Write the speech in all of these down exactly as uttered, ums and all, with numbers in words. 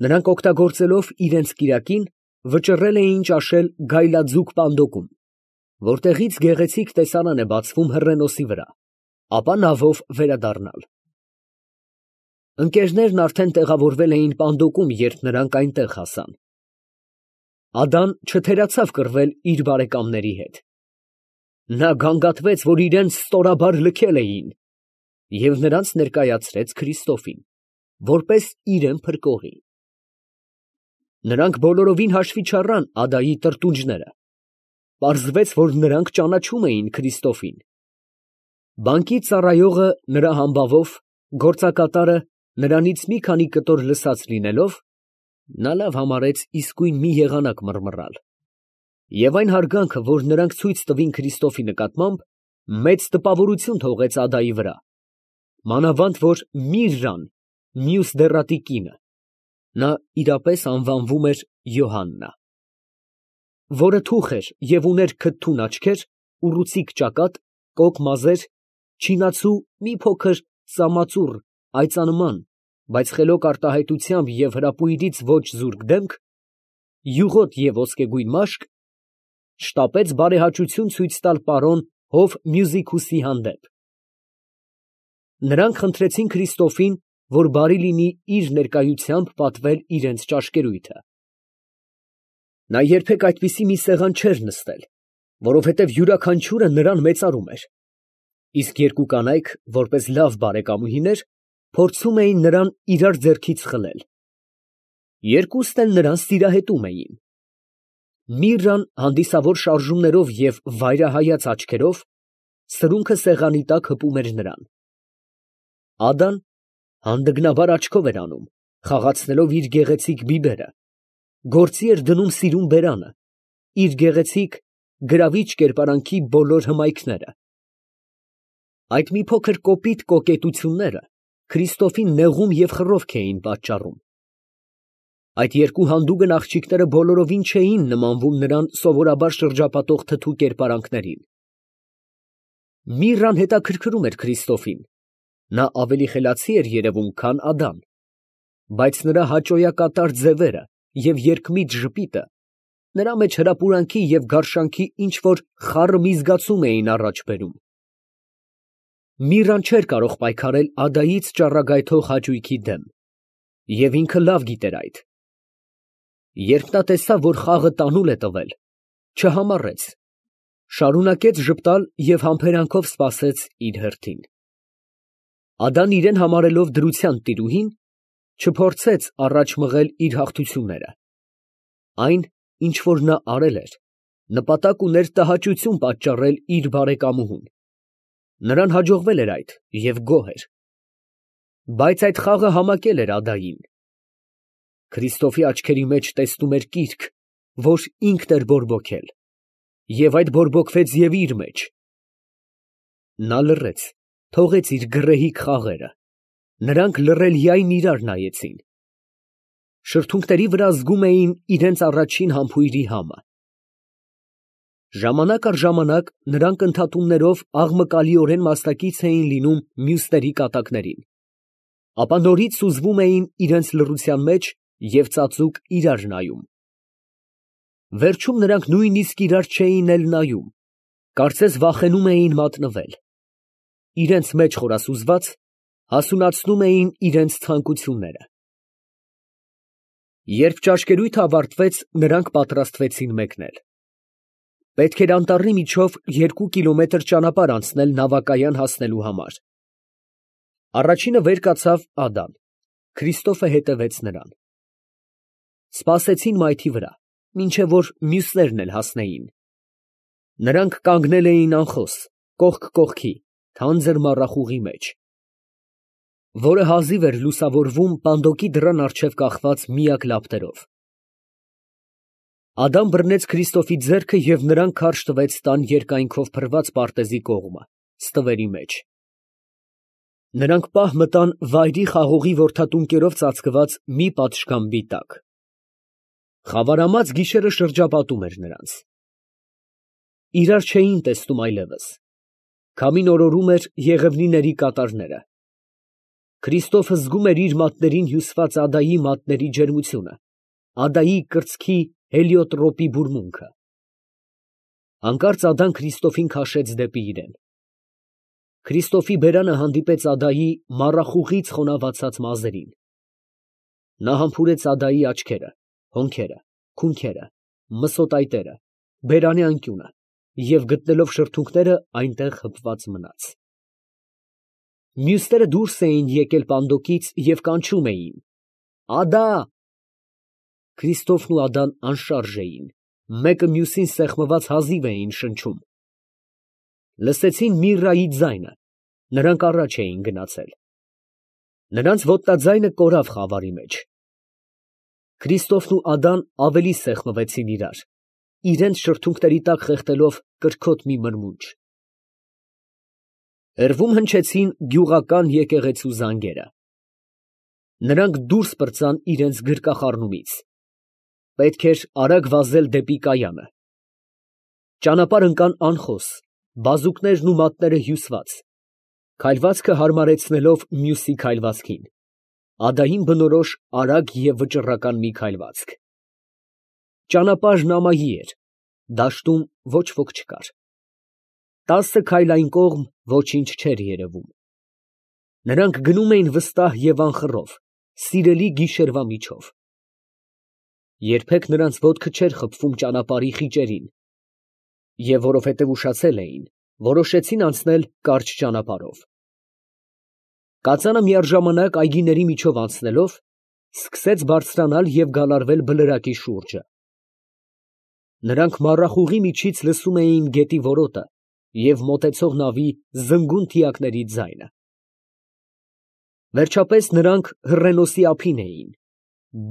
Նրանք օգտագործելով իրենց կիրակին, վճռել էին ճաշել գայլաձուկ պանդոկում, որտեղից գեղեցիկ տեսարան է բացվում հռենոսի վրա, ապա նավով վերադառնալ։ Ընկերներն արդեն տեղավորվել էին պանդոկում, երբ նրանք այնտեղ հասան։ Ադան չթերացավ կռվել իր բարեկամների հետ։ Նա գանգատվեց, որ իրենց ստորաբար լքել էին, և նրանց ներկայացրեց Քրիստոֆին, որպես իրան փրկողի։ Նրանք բոլորովին հաշվի չառան Ադայի տրտունջները. պարզվեց, որ նրանք ճանաչում էին Քրիստոֆին։ Բանկի ծառայողը նրա համբավով, գործակատարը նրանից մի քանի կտոր լսած լինելով, նա լավ համարեց իսկույն մի եղանակ մռմռալ, և այն հարգանքը, որ նրանք ցույց տվին Քրիստոֆի նկատմամբ, մեծ տպավորություն թողեց Ադայի վրա, մանավանդ որ Միրրան, մյուս դեռատի կինը, նա իրապես անվանվում էր Յոհաննա, որը թուխ էր և ուներ քթթուն աչքեր, ուռուցիկ ճակատ, կոկ մազեր, չինացու մի փոքր ծամածուռ այծանման, բայց խելոք արտահայտությամբ և հրապույրից ոչ զուրկ դեմք, յուղոտ և ոսկեգույն մաշկ, շտապեց բարեհաճություն ցույց տալ պարոն Հով Մյուզիկուսի հանդեպ։ Նրանք խնդրեցին Քրիստոֆին, որ բարի լինի իր ներկայությամբ պատվել իրենց ճաշկերույթը։ Նա երբեք այդպիսի մի սեղան չէր նստել, որովհետև յուրաքանչյուրը նրան մեծարում էր, իսկ երկու կանայք, որպես լավ բարեկամուհիներ, փորձում էին նրան իրար ձեռքից խլել. երկուստ էլ նրան սիրահետում էին։ Միրրան հանդիսավոր շարժումներով և վայրահայաց աչքերով սրունքը սեղանի տակ հպում էր նրան։ Ադան հանդգնաբար աչքով էր անում, խաղացնելով իր գեղեցիկ բիբերը, գործի էր դնում սիրուն բերանը, իր գեղեցիկ, գրավիչ կերպարանքի բոլոր հմայքները։ Այդ մի փոքր կոպիտ կոկետությունները Քրիստոֆին նեղում և խռովք էին պատճառում։ Այդ երկու հանդուգն աղջիկները բոլորովին չէին նմանվում նրան սովորաբար շրջապատող թթու կերպարանքներին։ Միրրան հետաքրքրում էր Քրիստոֆին, նա ավելի խելացի էր երևում, քան Ադան, բայց նրա հաճոյակատար ձևերը և երկմիտ ժպիտը նրա մեջ հրապուրանքի և գարշանքի ինչ֊որ խառը մի զգացում էին առաջ բերում։ Միրրան չէր կարող պայքարել Ադայից ճառագայթող հաճույքի դեմ, և ինքը լավ գիտեր այդ։ Երբ նա տեսավ, որ խաղը տանուլ է տվել, չհամառեց, շարունակեց ժպտալ և համբերանքով սպասեց իր հերթին։ Ադան իրան համարելով դրության տիրուհին, չփորձեց առաջ մղել իր հաղթությունները։ Այն, ինչ որ նա արել էր, նպատակ ուներ տհաճություն պատճառել իր բարեկամուհուն։ Նրան հաջողվել էր այդ և գոհ էր։ Բայց այդ խաղը համակել էր Ադային։ Քրիստոֆի աչքերի մեջ տեսնում էր կիրք, որ ինքն էր բորբոքել, և այդ բորբոքվեց և իր մեջ։ Նա լռեց, թողեց իր գռեհիկ խաղերը, նրանք լռելիայն իրար նայեցին։ Շրթունքների վրա զգում էին իրենց առաջին համբույրի համը։ Ժամանակ առ ժամանակ նրանք ընդհատումներով աղմկալիորեն մասնակից էին լինում մյուսների կատակներին, ապա նորից սուզվում էին իրենց լռության մեջ և ծածուկ իրար նայում։ Վերջում նրանք նույնիսկ իրար չէին էլ նայում, կարծես վախենում էին մատնվել։ Իրենց մեջ խորասուզված, հասունացնում էին իրենց ցանկությունները։ Երբ ճաշկերույթը ավարտվեց, նրանք պատրաստվեցին մեկնել։ Պետք էր անտառի միջով երկու կիլոմետր ճանապարհ անցնել նավակայան հասնելու համար։ Առաջինը վեր կացավ Ադան, Քրիստոֆը հետևեց նրան։ Սպասեցին մայթի վրա, մինչև որ մյուսներն էլ հասնեին։ Նրանք կանգնել էին անխոս, կողք կողքի, թանձր մառախուղի մեջ, որը հազիվ էր լուսավորվում պանդոկի դռան առջև կախված միակ լապտերով։ Ադան բռնեց Քրիստոֆի ձեռքը և նրան քարշ տվեց տան երկայնքով փռված պարտեզի կողմը, ստվերի մեջ։ Նրանք պահ մտան վայրի խաղողի որդատունկերով ծածկված մի պատշգամբի տակ։ Խավարամած գիշերը շրջապատում էր նրանց։ Իրար չէին տեսնում այլևս. քամին օրորում էր եղևնիների կատարները։ Քրիստոֆը զգում էր իր մատներին հյուսված Ադայի մատների ջերմությունը, Ադայի կրծքի հելիոտրոպի բուրմունքը։ Հանկարծ Ադան Քրիստոֆին քաշեց դեպի իրեն։ Քրիստոֆի բերանը հանդիպեց Ադայի մառախուղից խոնավացած մազերին։ Նա համբուրեց Ադայի աչքերը, հոնքերը, քունքերը, մսոտայտերը, բերանի անկյունը և գտնելով շրթունքները այնտեղ հպված մնաց։ Մյուսները դուրս էին եկել պանդոկից և կանչում էին. «Ադա»։ Քրիստոֆն ու Ադան անշարժ էին, մեկը մյուսին սեղմված հազիվ էին շնչում։ Լսեցին Միրրայի ձայնը, նրանք առաջ էին գնացել։ Նրանց ոտնաձայնը կորավ խավարի մեջ։ Քրիստոֆն ու Ադան ավելի սեղմվեցին իրար, իրենց շրթունքների տակ խեղդելով կրքոտ մի մրմունջ։ Հեռվում հնչեցին գյուղական եկեղեցու զանգերը։ Նրանք դուրս պրծան իրենց գրկախառնումից։ Պետք էր արագ վազել դեպի կայանը։ Ճանապարհ ընկան անխոս, բազուկներն ու մատները հյուսված, քայլվածքը հարմարեցնելով մյուսի քայլվածքին, Ադային բնորոշ արագ և վճռական մի քայլվածք։ Ճանապարհն ամայի էր, դաշտում ոչ ոք չկար։ Տասը քայլ այն կողմ ոչինչ չէր երևում։ Նրանք գնում էին վստահ և անխռով, սիրելի գիշերվա միջով։ Երբեք նրանց ոտքը չէր խփվում ճանապարհի խիճերին, և որովհետև ուշացել էին, որոշեցին անցնել կարճ ճանապարհով։ Կածանը միաժամանակ այգիների միջով անցնելով, սկսեց բարձրանալ և գալարվել բլրակի շուրջը։ Նրանք մառախուղի միջից լսում էին գետի որոտը և մոտեցող նավի զնգուն թիակների ձայնը։ Վերջապես նրանք հռենոսի ափին էին,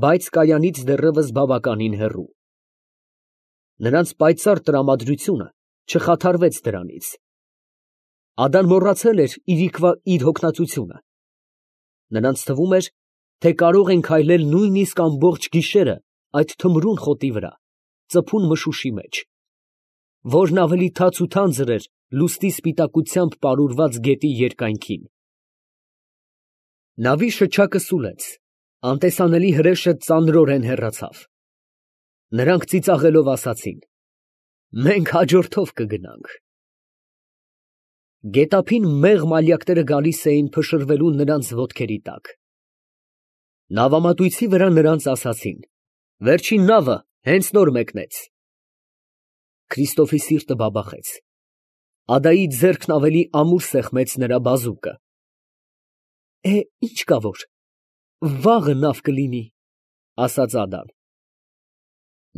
բայց կայանից դեռևս բավականին հեռու։ Նրանց պայծառ տրամադրությունը չխաթարվեց դրանից։ Ադան մոռացել էր իրիկվա իր հոգնածությունը։ Նրանց թվում էր, թե կարող են քայլել նույնիսկ ամբողջ գիշերը այդ թմրուն խոտի վրա, ծփուն մշուշի մեջ, որն ավելի թաց ու թանձր էր լուսնի սպիտակությամբ պարուրված գետի երկայնքին։ Նավի շչակը սուլեց, անտեսանելի հրեշը ծանրորեն հեռացավ։ Նրանք ծիծաղելով ասացին. «Մենք հաջորդով կգնանք»։ Գետափին մեղմ ալյակները գալիս էին փշրվելու նրանց ոտքերի տակ։ Նավամատույցի վրա նրանց ասացին. «Վերջին նավը հենց նոր մեկնեց»։ Քրիստոֆի սիրտը բաբախեց։ Ադայի ձեռքն ավելի ամուր սեղմեց նրա բազուկը։ «Է, ի՞նչ կա որ, վաղը նավ կլինի», ֊ ասաց Ադան։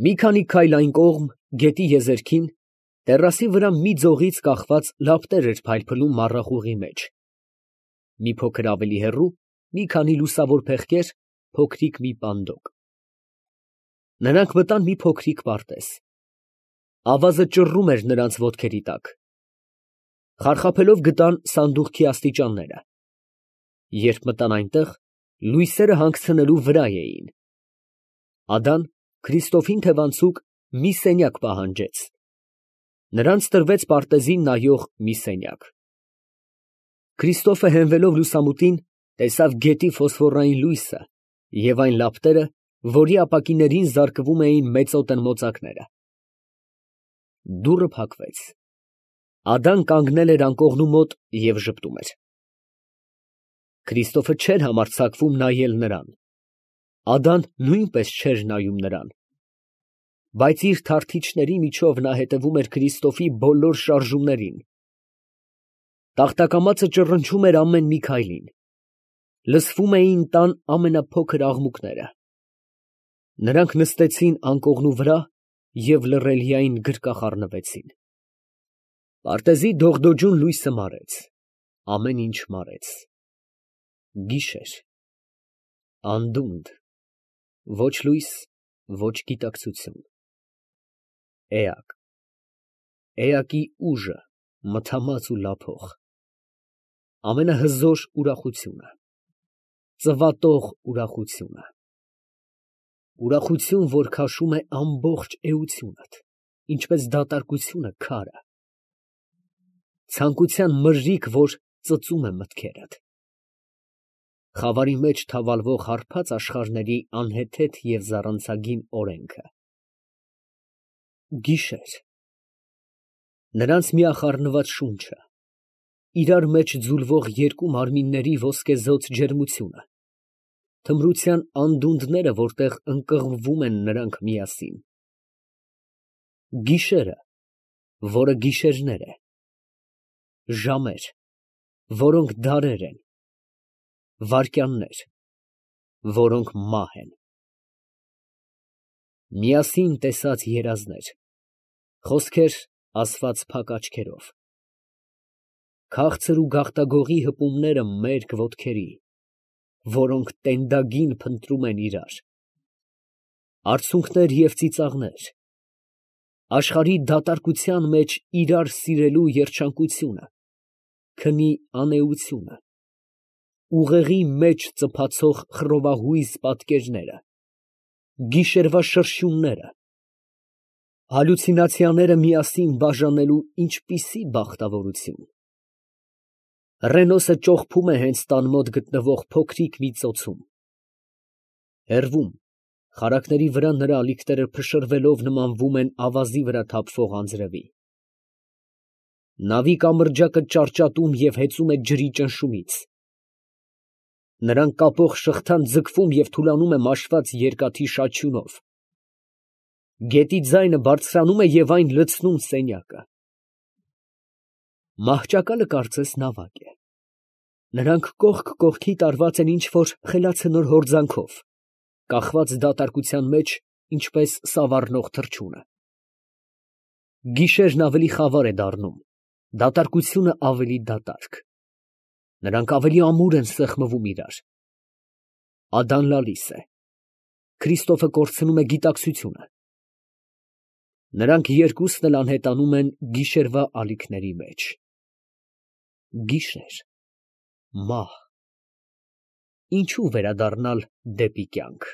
Մի քանի քայլ այն կողմ, գետի եզերքին, տեռասի վրա մի ձողից կախված լապտեր էր փայլփլում մառախուղի մեջ։ Մի փոքր ավելի հեռու, մի քանի լուսավոր փեղկեր, փոքրիկ մի պանդոկ։ Նրանք մտան մի փոքրիկ պարտեզ։ Ավազը ճռռում էր նրանց ոտքերի տակ։ Խարխափելով գտան սանդուղքի աստիճանները։ Երբ մտան այնտեղ, լույսերը հանգցնելու վրա էին։ Ադան Քրիստոֆին թևանցուկ մի սենյակ պահանջեց։ Նրանց տրվեց պարտեզին նայող մի սենյակ։ Քրիստոֆը հենվելով լուսամուտին, տեսավ գետի ֆոսֆորային լույսը և այն լապտերը, որի ապակիներին զարկվում էին մեծոտն մոծակները։ Դուռը փակվեց։ Ադան կանգնել էր անկողնու մոտ և ժպտում էր։ Քրիստոֆը չէր համարձակվում նայել նրան։ Ադան նույնպես չէր նայում նրան։ Բայց իր թարթիչների միջով նա հետևում էր Քրիստոֆի բոլոր շարժումներին։ Տախտակամածը ճռնչում էր ամեն մի քայլին։ Լսվում էին տան ամենափոքր աղմուկները։ Նրանք նստեցին անկողնու վրա և լռելիայն գրկախառնվեցին։ Պարտեզի դողդոջուն լույսը մարեց, ամեն ինչ մարեց։ Գիշեր, անդունդ, ոչ լույս, ոչ գիտակցություն։ Էակ, էակի ուժը մթամած ու լափող, ամենահզոր ուրախությունը, ծվատող ուրախությունը, ուրախություն, որ քաշում է ամբողջ էությունդ, ինչպես դատարկությունը քարը, ցանկության մրրիկ, որ ծծում է մտքերդ։ Խավարի մեջ թավալվող հարբած աշխարհների անհեթեթ և զառանցագին օրենքը։ Գիշեր։ Նրանց միախառնված շունչը, իրար մեջ ձուլվող երկու մարմինների ոսկեզօծ ջերմությունը, թմրության անդունդները, որտեղ ընկղմվում են նրանք միասին։ Գիշերը, որը գիշերներ է, ժամեր, որոնք դարեր են, վայրկյաններ, որոնք մահ են։ Միասին տեսած երազներ, խոսքեր ասված փակ աչքերով, քաղցր ու գաղտագողի հպումները մերկ ոտքերի, որոնք տենդագին փնտրում են իրար, արցունքներ և ծիծաղներ, աշխարհի դատարկության մեջ իրար սիրելու երջանկությունը, քնի անէությունը, ուղեղի մեջ ծփացող խռովահույզ պատկերները, գիշերվա շրշյունները, հալյուցինացիաները միասին բաժանելու ինչպիսի բախտավորություն։ Ռենոսը ճողփում է հենց տան մոտ գտնվող փոքրիկ մի ծոցում։ Հեռվում, խարակների վրա նրա ալիքները փշրվելով նմանվում են ավազի վրա թափվող անձրևի։ Նավի կամրջակը ճարճատում և հեծում է ջրի ճնշումից։ Նրան կապող շղթան ձգվում և թուլանում է մաշված երկաթի շաչյունով։ Գետի ձայնը բարձրանում է և այն լցնում սենյակը։ Մահճակալը կարծես նավակ է։ Նրանք կողք կողքի տարված են ինչ֊որ խելացնոր հորձանքով, կախված դատարկության մեջ, ինչպես սավառնող թռչունը։ Գիշերն ավելի խավար է դառնում, դատարկությունը ավելի դատարկ։ Նրանք ավելի ամուր են սեղմվում իրար։ Ադան լալիս է։ Քրիստոֆը կորցնում է գիտակցությունը։ Նրանք երկուսն էլ անհետանում են գիշերվա ալիքների մեջ։ Գիշեր, մահ, ինչո՞ւ վերադառնալ դեպի կյանք։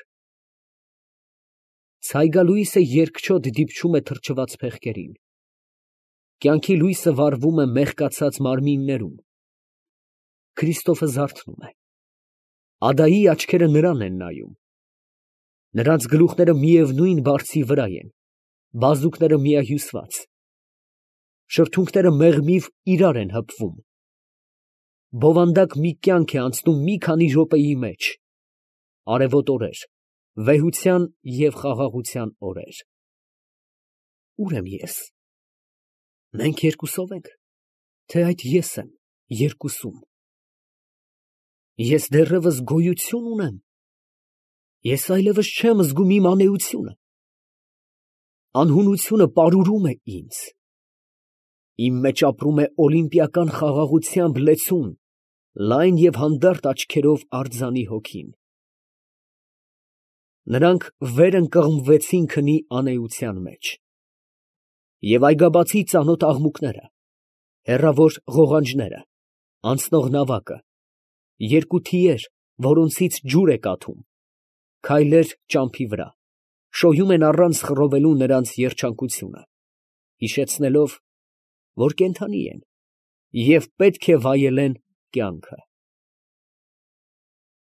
Ցայգալույսը երկչոտ դիպչում է թրջված փեղկերին։ Կյանքի լույսը վառվում է մեղկացած մարմիններում։ Քրիստոֆը զարթնում է։ Ադայի աչքերը նրան են նայում։ Նրանց գլուխները միևնույն բարձի վրա են, բազուկները միահյուսված։ Շրթունքները մեղմիվ իրար են հպվում։ Բովանդակ մի կյանք է անցնում մի քանի րոպեի մեջ, արևոտ օրեր, վեհության և խաղաղության օրեր։ Ո՞ւր եմ ես։ Մենք երկուսո՞վ ենք, թե այդ ես եմ երկուսում։ Ես դեռևս գոյություն ունե՞մ։ Ես այլևս չեմ զգում իմ անէությունը։ Անհունությունը պարուրում է ինձ։ Իմ մեջ ապրում է օլիմպիական խաղաղությամբ լեցուն, լայն և հանդարտ աչքերով արձանի հոգին։ Նրանք վեր ընկղմվեցին քնի անէության մեջ։ Եվ այգաբացի ծանոթ աղմուկները, հեռավոր ղողանջները, անցնող նավակը, երկու թիեր, որոնցից ջուր է կաթում, քայլեր ճամփի վրա, շոյում են առանց խռովելու նրանց երջանկությունը, հիշեցնելով, որ կենդանի են և պետք է վայելեն կյանքը։